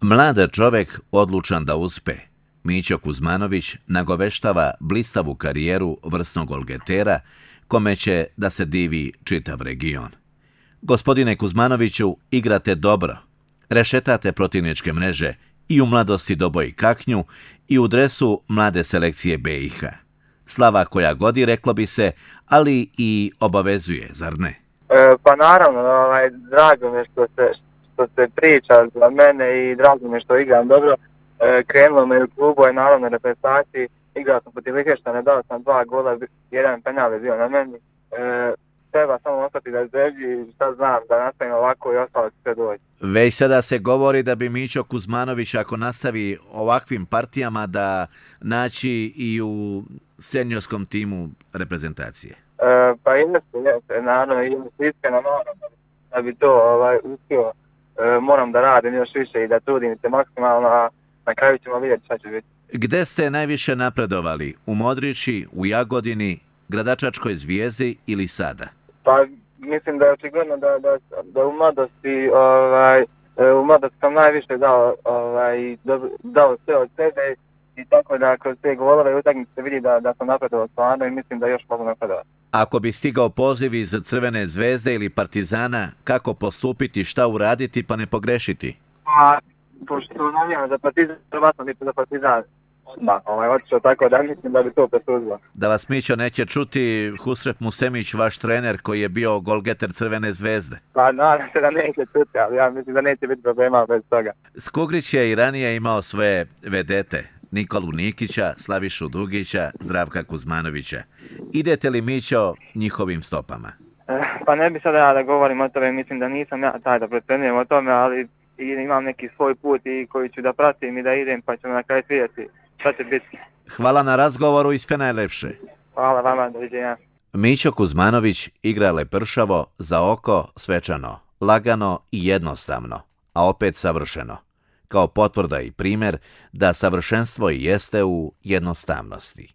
Mlad čovek odlučan da uspe. Mićo Kuzmanović nagoveštava blistavu karijeru vrsnog golgetera, kome će da se divi čitav region. Gospodine Kuzmanoviću, igrate dobro. Rešetate protivničke mreže i u mladosti doboji kaknju i u dresu mlade selekcije BiH. Slava koja godi, reklo bi se, ali i obavezuje, zar ne? Pa naravno, drago mi je što se priča za mene i drago mi je što igram dobro. Krenulo me u klubu i naravno reprezentaciji. Igrao sam protiv Liheštana, dao sam 2 gola, jedan penal je bio na meni. Treba samo ostati da zdrži, šta znam, da nastavim ovako i ostalo će sve doći. Već sada se govori da bi Mićo Kuzmanović, ako nastavi ovakvim partijama, da naći i u seniorskom timu reprezentacije. Pa jeste, naravno, i iskreno da bi to uspio, moram da radim još više i da trudim se maksimalno, a na kraju ćemo vidjeti šta će biti. Gde ste najviše napredovali? U Modrići, u Jagodini, Gradačačkoj Zvijezdi ili sada? Pa mislim da je očigledno da u mladosti sam najviše dao sve od sebe i tako da kroz te golove i utakmice se vidi da sam napredovao stvarno i mislim da još mogu napredovati. Ako bi stigao poziv iz Crvene Zvezde ili Partizana, kako postupiti, šta uraditi pa ne pogrešiti? Pa, pošto navijam za Partizan, prvatno bi za Partizan otišao tako da mislim da bi to presuzilo. Da vas Mićo neće čuti, Husref Musemić, vaš trener koji je bio golgeter Crvene Zvezde. Pa nadam se da neće čuti, ali ja mislim da neće biti problema bez toga. Skugrić je i ranije imao svoje vedete, Nikolu Nikića, Slavišu Dugića, Zdravka Kuzmanovića. Idete li, Mićo, njihovim stopama? Pa ne bi sada ja da govorim o tome, mislim da nisam ja taj da procenjujem o tome, ali imam neki svoj put i koji ću da pratim i da idem, pa ćemo na kraju vidjeti šta će biti. Hvala na razgovoru i sve najlepše. Hvala vama, doviđenja. Mićo Kuzmanović igra lepršavo, za oko svečano, lagano i jednostavno, a opet savršeno. Kao potvrda i primjer da savršenstvo i jeste u jednostavnosti.